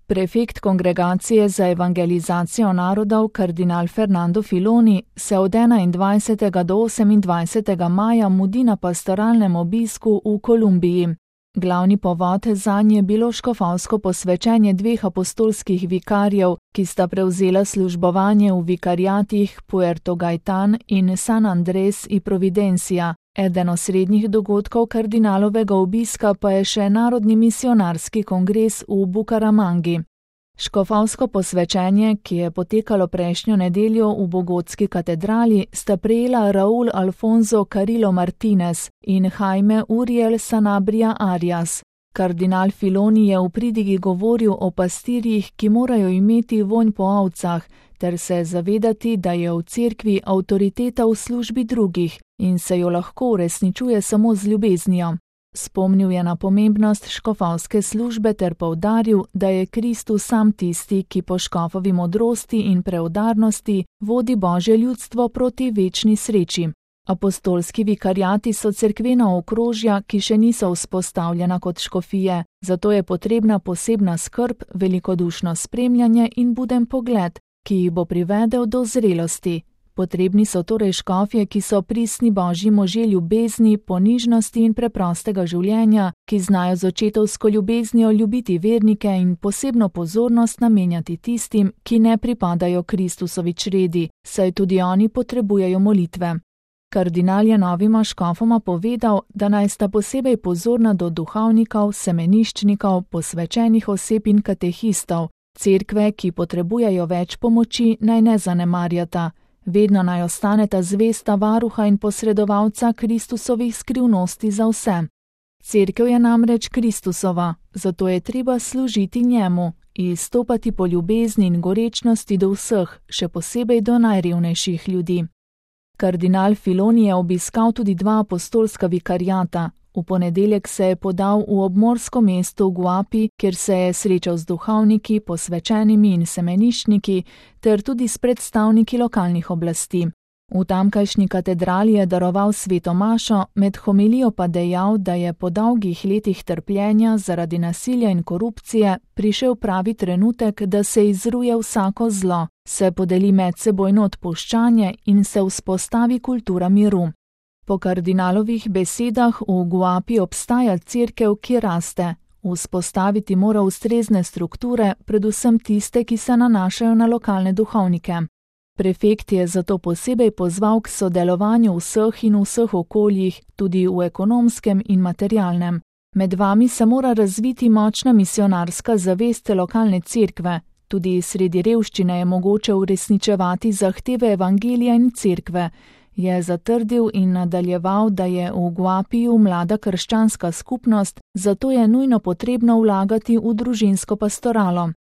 Prefekt Kongregacije za evangelizacijo narodov kardinal Fernando Filoni se od 21. do 28. maja mudi na pastoralnem obisku v Kolumbiji. Glavni povod zanje je bilo škofovsko posvečenje dveh apostolskih vikarjev, ki sta prevzela službovanje v vikariatih Puerto Gaitán in San Andrés y Providencia. Eden osrednjih dogodkov kardinalovega obiska pa je še Narodni misionarski kongres v Bukaramangi. Škofovsko posvečenje, ki je potekalo prejšnjo nedeljo v Bogotski katedrali, sta prejela Raúl Alfonso Carrillo Martínez in Jaime Uriel Sanabria Arias. Kardinal Filoni je v pridigi govoril o pastirjih, ki morajo imeti vonj po ovcah, ter se zavedati, da je v cerkvi avtoriteta v službi drugih in se jo lahko uresničuje samo z ljubeznijo. Spomnil je na pomembnost škofovske službe ter poudaril, da je Kristus sam tisti, ki po škofovi modrosti in preudarnosti vodi Božje ljudstvo proti večni sreči. Apostolski vikariati so cerkvena okrožja, ki še niso vzpostavljena kot škofije, zato je potrebna posebna skrb, velikodušno spremljanje in buden pogled, ki jih bo privedel do zrelosti. Potrebni so torej škofje, ki so pristni Božji možje ljubezni, ponižnosti in preprostega življenja, ki znajo z očetovsko ljubeznijo ljubiti vernike in posebno pozornost namenjati tistim, ki ne pripadajo Kristusovi čredi, saj tudi oni potrebujejo molitve. Kardinal je novima škofoma povedal, da naj sta posebej pozorna do duhovnikov, semeniščnikov, posvečenih oseb in katehistov. Cerkve, ki potrebujejo več pomoči, naj ne zanemarjata. Vedno naj ostaneta zvesta varuha in posredovalca Kristusovih skrivnosti za vse. Cerkev je namreč Kristusova, zato je treba služiti njemu, izstopati po ljubezni in gorečnosti do vseh, še posebej do najrevnejših ljudi. Kardinal Filoni je obiskal tudi dva apostolska vikariata. V ponedeljek se je podal v obmorsko mesto v Guapi, kjer se je srečal z duhovniki, posvečenimi in semeniščniki, ter tudi s predstavniki lokalnih oblasti. V tamkajšnji katedrali je daroval sveto mašo, med homilijo pa dejal, da je po dolgih letih trpljenja zaradi nasilja in korupcije prišel pravi trenutek, da se izruje vsako zlo, se podeli medsebojno odpuščanje in se vzpostavi kultura miru. Po kardinalovih besedah v Guapi obstaja cerkev, ki raste. Vzpostaviti mora ustrezne strukture, predvsem tiste, ki se nanašajo na lokalne duhovnike. Prefekt je zato posebej pozval k sodelovanju vseh in vseh okoljih, tudi v ekonomskem in materialnem. Med vami se mora razviti močna misionarska zavest lokalne cerkve. Tudi sredi revščine je mogoče uresničevati zahteve evangelija in cerkve. Je zatrdil in nadaljeval, da je v Guapiju mlada krščanska skupnost, zato je nujno potrebno vlagati v družinsko pastoralo.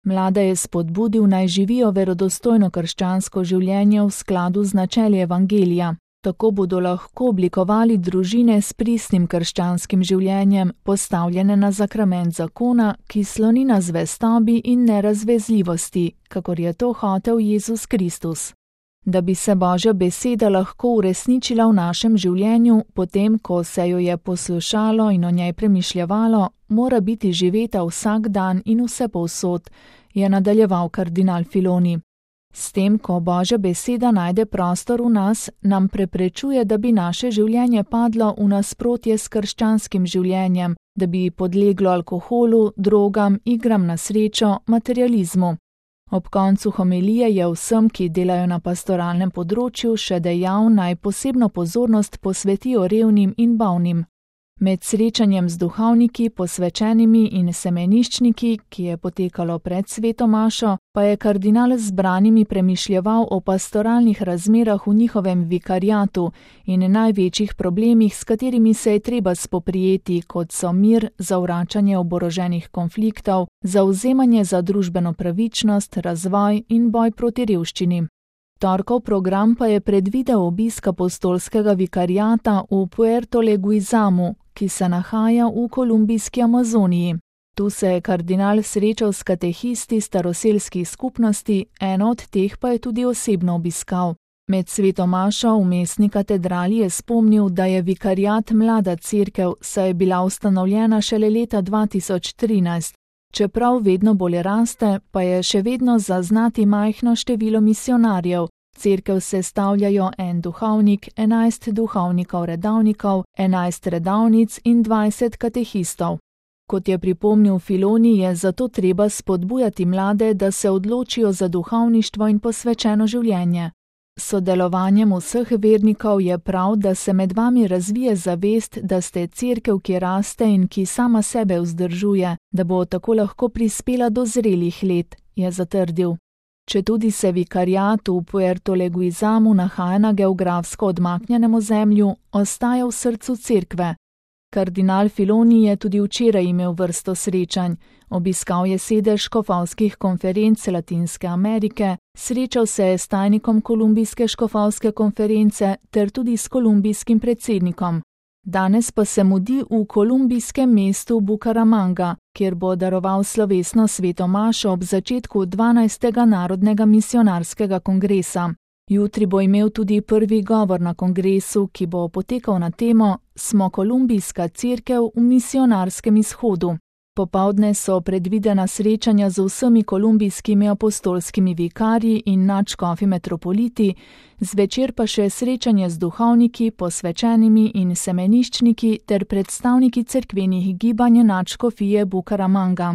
Mlade je spodbudil, naj živijo verodostojno krščansko življenje v skladu z načeli evangelija. Tako bodo lahko oblikovali družine s pristnim krščanskim življenjem, postavljene na zakrament zakona, ki sloni na zvestobi in nerazvezljivosti, kakor je to hotel Jezus Kristus. Da bi se Božja beseda lahko uresničila v našem življenju, potem, ko se jo je poslušalo in o njej premišljevalo, mora biti živeta vsak dan in vsepovsod, je nadaljeval kardinal Filoni. S tem, ko Božja beseda najde prostor v nas, nam preprečuje, da bi naše življenje padlo v nasprotje s krščanskim življenjem, da bi podleglo alkoholu, drogam, igram na srečo, materializmu. Ob koncu homilije je vsem, ki delajo na pastoralnem področju, še dejal, naj posebno pozornost posvetijo revnim in bolnim. Med srečanjem z duhovniki, posvečenimi in semeniščniki, ki je potekalo pred sveto mašo, pa je kardinal z zbranimi premišljeval o pastoralnih razmerah v njihovem vikariatu in največjih problemih, s katerimi se je treba spoprijeti, kot so mir, zavračanje oboroženih konfliktov, zavzemanje za družbeno pravičnost, razvoj in boj proti revščini. Torkov program pa je predvidel obisk apostolskega vikariata v Puerto Leguizamu, ki se nahaja v kolumbijski Amazoniji. Tu se je kardinal srečal s katehisti staroselskih skupnosti, eno od teh pa je tudi osebno obiskal. Med sveto mašo v mestni katedrali je spomnil, da je vikariat mlada cerkev, saj je bila ustanovljena šele leta 2013. Čeprav vedno bolj raste, pa je še vedno zaznati majhno število misijonarjev. Cerkev sestavljajo en duhovnik, 11 duhovnikov redavnikov, 11 redavnic in 20 katehistov. Kot je pripomnil Filoni, je zato treba spodbujati mlade, da se odločijo za duhovništvo in posvečeno življenje. S sodelovanjem vseh vernikov je prav, da se med vami razvije zavest, da ste cerkev, ki raste in ki sama sebe vzdržuje, da bo tako lahko prispela do zrelih let, je zatrdil. Četudi se vikariat v Puerto Leguizamu nahaja na geografsko odmaknjenem ozemlju, ostaja v srcu cerkve. Kardinal Filoni je tudi včeraj imel vrsto srečanj. Obiskal je sedež škofovskih konferenc Latinske Amerike, srečal se je s tajnikom Kolumbijske škofovske konference ter tudi s kolumbijskim predsednikom. Danes pa se mudi v kolumbijskem mestu Bucaramanga, kjer bo daroval slovesno sveto mašo ob začetku 12. narodnega misijonarskega kongresa. Jutri bo imel tudi prvi govor na kongresu, ki bo potekal na temo Smo kolumbijska cerkev v misijonarskem izhodu. Popoldne so predvidena srečanja z vsemi kolumbijskimi apostolskimi vikarji in nadškofi metropoliti, zvečer pa še srečanje z duhovniki, posvečenimi in semeniščniki ter predstavniki cerkvenih gibanj nadškofije Bucaramanga.